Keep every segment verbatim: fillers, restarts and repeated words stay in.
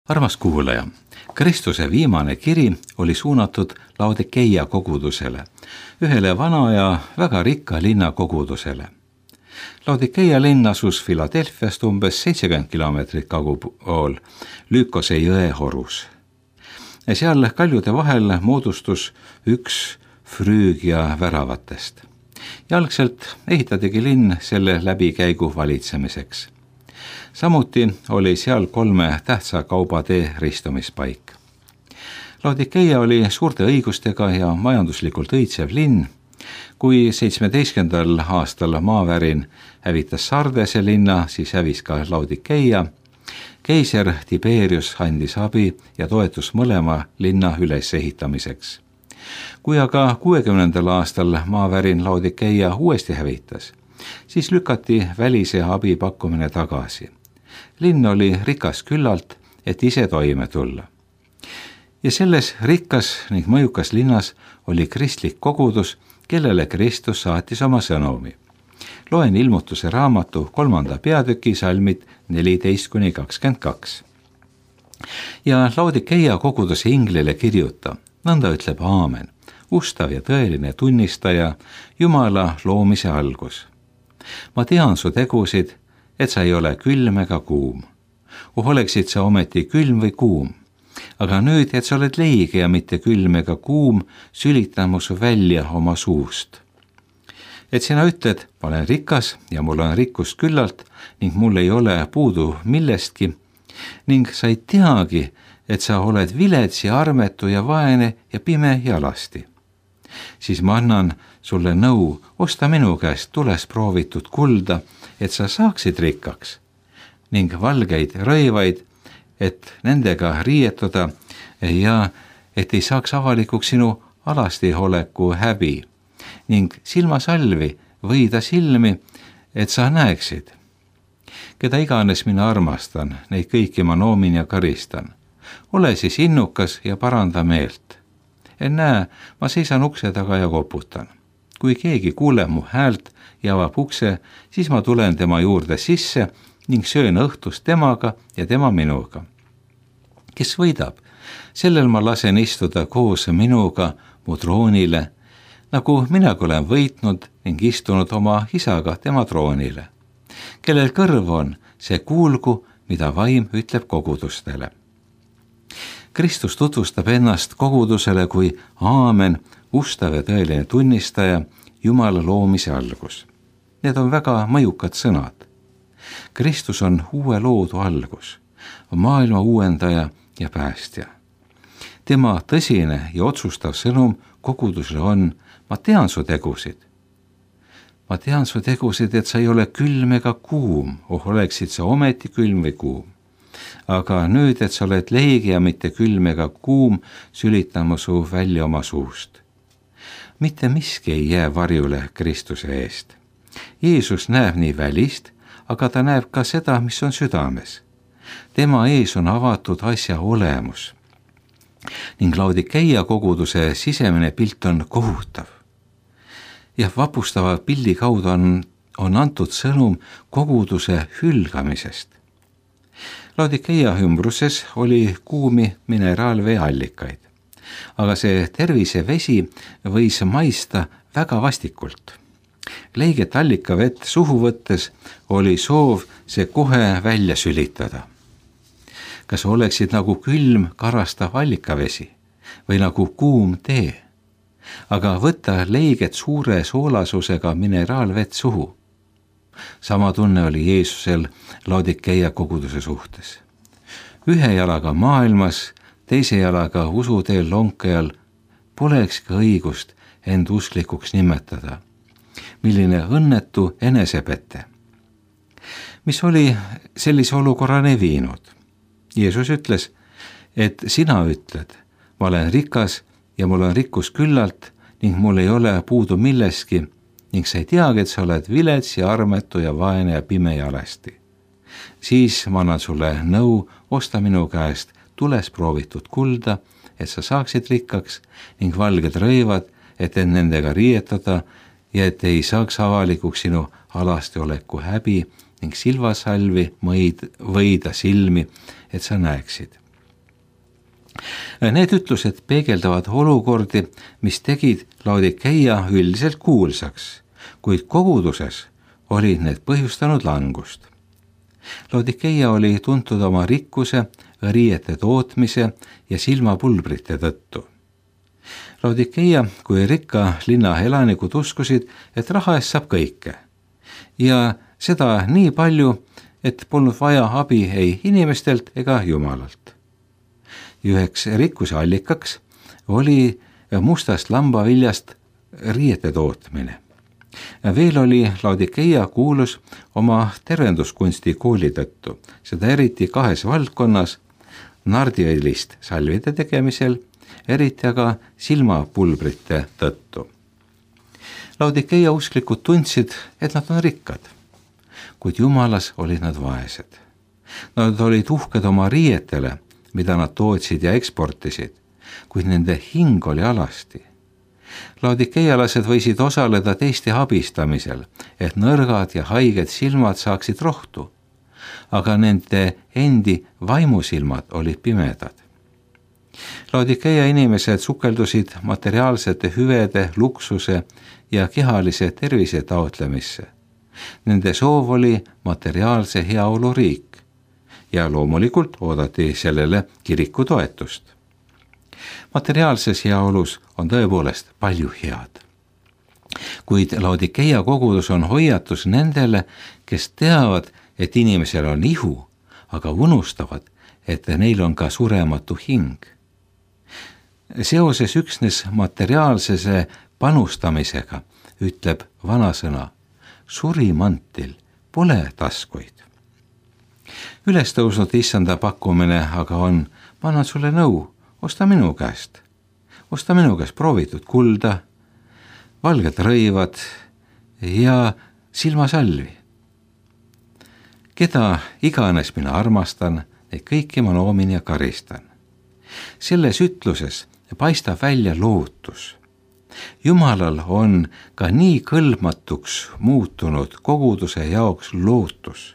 Armas kuulaja, Kristuse viimane kiri oli suunatud Laodikeia kogudusele, ühele vana ja väga rikka linna kogudusele. Laodikeia linn asus Philadelphiast umbes seitsekümmend kilomeetrit kagupool Lykose jõe horus. Seal kaljude vahel moodustus üks Früügia väravatest. Jalgselt ehitatigi linn selle läbikäigu valitsemiseks. Samuti oli seal kolme tähtsa kaubatee ristumispaik. Laodikeia oli suurte õigustega ja majanduslikult õitsev linn. Kui seitsmeteistkümnendal aastal maavärin hävitas Sardese linna, siis hävis ka Laodikeia. Keiser Tiberius andis abi ja toetus mõlema linna ülesehitamiseks. Kui aga kuuekümnendal aastal maavärin Laodikeia uuesti hävitas, siis lükati välise abi pakkumine tagasi. Linn oli rikas küllalt, et ise toime tulla. Ja selles rikkas ning mõjukas linnas oli kristlik kogudus, kellele Kristus saatis oma sõnumi. Loen Ilmutuse raamatu kolmanda peatüki salmid neliteist kuni kakskümmend kaks. Ja Laodikeia koguduse inglile kirjuta, nõnda ütleb Aamen, ustav ja tõeline tunnistaja, Jumala loomise algus. Ma tean su tegusid, et sa ei ole külm ega kuum. Oh, oleksid sa ometi külm või kuum. Aga nüüd, et sa oled leige ja mitte külm ega kuum, sülitan mu su välja oma suust. Et sina ütled, ma olen rikas ja mul on rikkust küllalt ning mul ei ole puudu millestki ning sa ei teagi, et sa oled vilets ja armetu ja vaene ja pime ja alasti. Siis ma annan sulle nõu, osta minu käest tules proovitud kulda, et sa saaksid rikkaks ning valgeid rõivaid, et nendega riietuda ja et ei saaks avalikuks sinu alastiholeku häbi ning silmasalvi võida silmi, et sa näeksid. Keda iganes mina armastan, neid kõiki ma noomin ja karistan. Ole siis innukas ja paranda meelt. En näe, ma seisan ukse taga ja koputan. Kui keegi kuuleb mu häält ja avab ukse, siis ma tulen tema juurde sisse ning söön õhtust temaga ja tema minuga. Kes võidab, sellel ma lasen istuda koos minuga mu troonile, nagu minagi olen võitnud ning istunud oma isaga tema troonile. Kellel kõrv on, see kuulgu, mida vaim ütleb kogudustele. Kristus tutvustab ennast kogudusele kui Aamen, ustav ja tõeline tunnistaja, Jumala loomise algus. Need on väga mõjukad sõnad. Kristus on uue loodu algus, maailma uuendaja ja päästja. Tema tõsine ja otsustav sõnum kogudusele on, ma tean su tegusid. Ma tean su tegusid, et sa ei ole külm ega kuum, oh oleksid sa ometi külm või kuum. Aga nüüd, et sa oled leige ja mitte külm ega kuum, sülitan ma su välja oma suust. Mitte miski ei jää varjule Kristuse eest. Jeesus näeb nii välist, aga ta näeb ka seda, mis on südames. Tema ees on avatud asja olemus. Ning Laodikeia koguduse sisemine pilt on kohutav. Ja vapustava pildi kaudu on, on antud sõnum koguduse hülgamisest. Laodikeia ümbruses oli kuumi mineraalvee allikaid, aga see tervisevesi võis maista väga vastikult. Leiget allikavett suhu võttes oli soov see kohe välja sülitada. Kas oleksid nagu külm karastav allikavesi või nagu kuum tee? Aga võtta leiget suure soolasusega mineraalvett suhu. Sama tunne oli Jeesusel Laodikeia koguduse suhtes. Ühe jalaga maailmas, teise jalaga usuteel lonkajal poleks ka õigust end usklikuks nimetada. Milline õnnetu enesepette. Mis oli sellise olukorrani viinud? Jeesus ütles, et sina ütled, ma olen rikas ja mul on rikkus küllalt ning mul ei ole puudu milleski ning sa ei teagi, et sa oled vilets ja armetu ja vaene ja pime ja alasti. Siis ma annan sulle nõu, osta minu käest tules proovitud kulda, et sa saaksid rikkaks ning valged rõivad, et end nendega riietada ja et ei saaks avalikuks sinu alastioleku häbi ning silvasalvi mõid, võida silmi, et sa näeksid. Need ütlused peegeldavad olukordi, mis tegid Laodikeia üldiselt kuulsaks, kuid koguduses olid need põhjustanud langust. Laodikeia oli tuntud oma rikkuse, riiete tootmise ja silmapulbrite tõttu. Laodikeia kui rikka linna elanikud uskusid, et raha eest saab kõike ja seda nii palju, et polnud vaja abi ei inimestelt ega Jumalalt. Üheks rikkuse allikaks oli mustast lambaviljast riiete tootmine. Veel oli Laodikeia kuulus oma tervenduskunsti kooli tõttu, seda eriti kahes valdkonnas, nardiõlist salvide tegemisel, eriti aga silmapulbrite tõttu. Laodikeia usklikud tundsid, et nad on rikkad, kuid Jumalas olid nad vaesed. Nad olid uhked oma riietele, mida nad tootsid ja eksportisid, kuid nende hing oli alasti. Laodikeialased võisid osaleda teiste abistamisel, et nõrgad ja haiged silmad saaksid rohtu, aga nende endi vaimusilmad olid pimedad. Laodikeia inimesed sukeldusid materiaalsete hüvede, luksuse ja kehalise tervise taotlemisse. Nende soov oli materiaalse heaolu riik ja loomulikult oodati sellele kiriku toetust. Materiaalses heaolus on tõepoolest palju head. Kuid Laodikeia kogudus on hoiatus nendele, kes teavad, et inimesel on ihu, aga unustavad, et neil on ka surematu hing. Seoses üksnes materiaalsese panustamisega ütleb vanasõna, surimantil pole taskuid. Üles tõusnud issanda pakkumine aga on, ma annan sulle nõu, osta minu käest, osta minu käest proovitud kulda, valged rõivad ja silmasalvi. Keda iganes mina armastan, neid kõiki ma noomin ja karistan. Selles ütluses paistab välja lootus. Jumalal on ka nii kõlbmatuks muutunud koguduse jaoks lootus.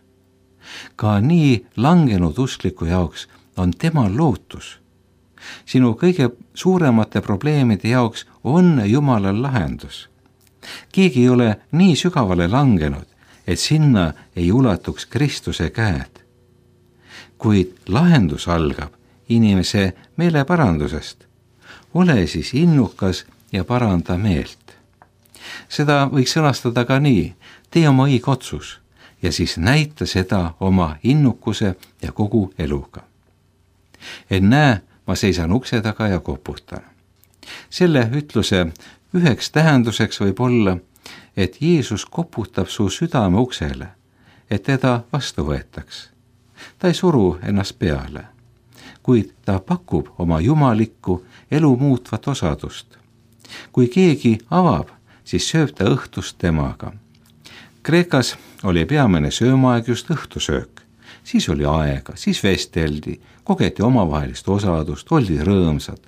Ka nii langenud uskliku jaoks on tema lootus. Sinu kõige suuremate probleemide jaoks on Jumalal lahendus. Keegi ei ole nii sügavale langenud, et sinna ei ulatuks Kristuse käed. Kuid lahendus algab inimese meeleparandusest. Ole siis innukas ja paranda meelt. Seda võiks sõnastada ka nii, tee oma õige otsus ja siis näita seda oma innukuse ja kogu eluga. Et näe, ma seisan ukse taga ja koputan. Selle ütluse üheks tähenduseks võib olla, et Jeesus koputab su südame uksele, et teda vastu võetaks. Ta ei suru ennast peale, kuid ta pakub oma jumalikku elu muutvat osadust. Kui keegi avab, siis sööb ta õhtust temaga. Kreekas oli peamine söömaaeg just õhtusöök. Siis oli aega, siis vesteldi, kogeti omavahelist osadust, oldi rõõmsad.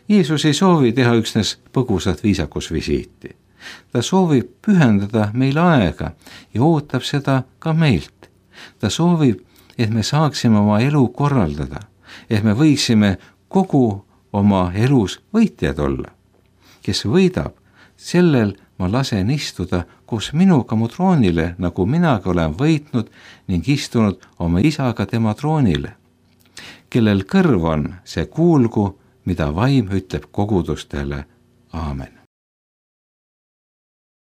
Jeesus ei soovi teha üksnes põgusat viisakusvisiiti. Ta soovib pühendada meile aega ja ootab seda ka meilt. Ta soovib, et me saaksime oma elu korraldada, et me võiksime kogu oma elus võitjad olla. Kes võidab, sellel ma lasen istuda koos minuga mu troonile, nagu minagi olen võitnud ning istunud oma isaga tema troonile. Kellel kõrv on, see kuulgu, mida vaim ütleb kogudustele. Aamen.